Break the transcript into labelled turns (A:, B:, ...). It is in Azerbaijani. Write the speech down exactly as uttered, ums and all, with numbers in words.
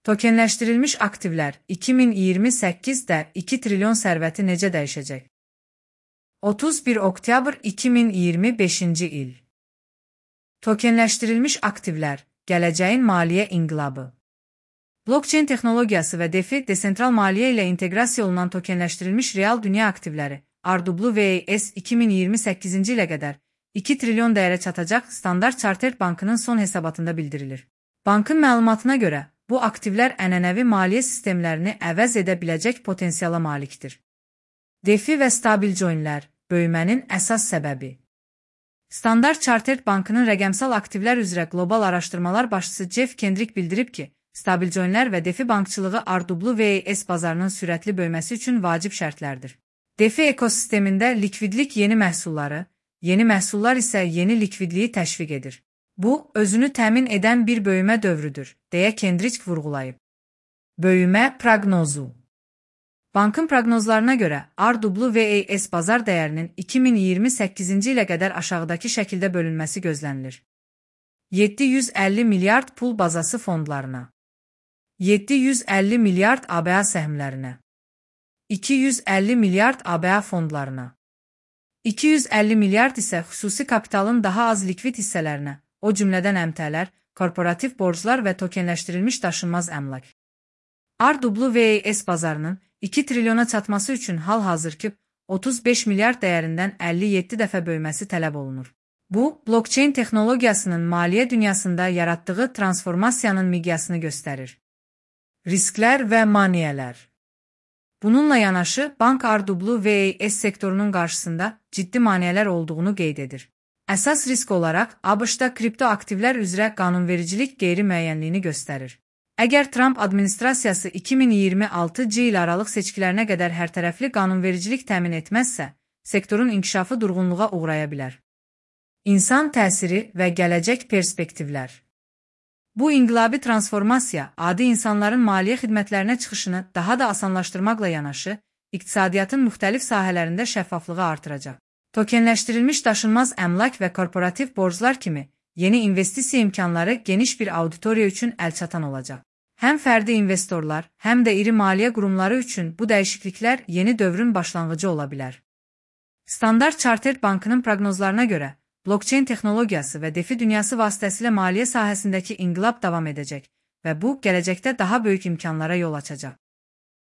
A: Tokenləşdirilmiş aktivlər iki min iyirmi səkkizdə iki trilyon sərvəti necə dəyişəcək? otuz bir oktyabr iki min iyirmi beşinci il. Tokenləşdirilmiş aktivlər, gələcəyin maliyyə inqilabı. Blockchain texnologiyası və DeFi, desentral maliyyə ilə inteqrasiya olunan tokenləşdirilmiş real dünya aktivləri, R W A S iki min iyirmi səkkizinci ilə qədər iki trilyon dəyərə çatacaq Standard Chartered Bankının son hesabatında bildirilir. Bankın məlumatına görə, bu aktivlər ənənəvi maliyyə sistemlərini əvəz edə biləcək potensiala malikdir. DeFi və stabil coinlər, böyümənin əsas səbəbi. Standard Chartered Bankının rəqəmsal aktivlər üzrə qlobal araşdırmalar başçısı Jeff Kendrick bildirib ki, stabil coinlər və DeFi bankçılığı R W A S bazarının sürətli böyüməsi üçün vacib şərtlərdir. DeFi ekosistemində likvidlik yeni məhsulları, yeni məhsullar isə yeni likvidliyi təşviq edir. Bu, özünü təmin edən bir böyümə dövrüdür, deyə Kendrick vurğulayıb. Böyümə proqnozu. Bankın proqnozlarına görə, R W A S bazar dəyərinin iki min iyirmi səkkizinci ilə qədər aşağıdakı şəkildə bölünməsi gözlənilir. yeddi yüz əlli milyard pul bazası fondlarına, yeddi yüz əlli milyard A B A səhmlərinə, iki yüz əlli milyard A B A fondlarına, iki yüz əlli milyard isə xüsusi kapitalın daha az likvid hissələrinə, o cümlədən əmtələr, korporativ borclar və tokenləşdirilmiş daşınmaz əmlak. R W A S bazarının iki trilyona çatması üçün hal-hazırki otuz beş milyard dəyərindən əlli yeddi dəfə böyüməsi tələb olunur. Bu, blockchain texnologiyasının maliyyə dünyasında yaratdığı transformasiyanın miqyasını göstərir. Risklər və maneələr. Bununla yanaşı, bank R W A S sektorunun qarşısında ciddi maneələr olduğunu qeyd edir. Əsas risk olaraq A B Ş-da kripto aktivlər üzrə qanunvericilik qeyri-müəyyənliyini göstərir. Əgər Trump administrasiyası iki min iyirmi altıncı il aralıq seçkilərinə qədər hərtərəfli qanunvericilik təmin etməzsə, sektorun inkişafı durğunluğa uğraya bilər. İnsan təsiri və gələcək perspektivlər. Bu inqilabi transformasiya adi insanların maliyyə xidmətlərinə çıxışını daha da asanlaşdırmaqla yanaşı, iqtisadiyyatın müxtəlif sahələrində şəffaflığı artıracaq. Tokenləşdirilmiş daşınmaz əmlak və korporativ borclar kimi yeni investisiya imkanları geniş bir auditoriya üçün əlçatan olacaq. Həm fərdi investorlar, həm də iri maliyyə qurumları üçün bu dəyişikliklər yeni dövrün başlanğıcı ola bilər. Standard Chartered Bankının proqnozlarına görə, blockchain texnologiyası və DeFi dünyası vasitəsilə maliyyə sahəsindəki inqilab davam edəcək və bu, gələcəkdə daha böyük imkanlara yol açacaq.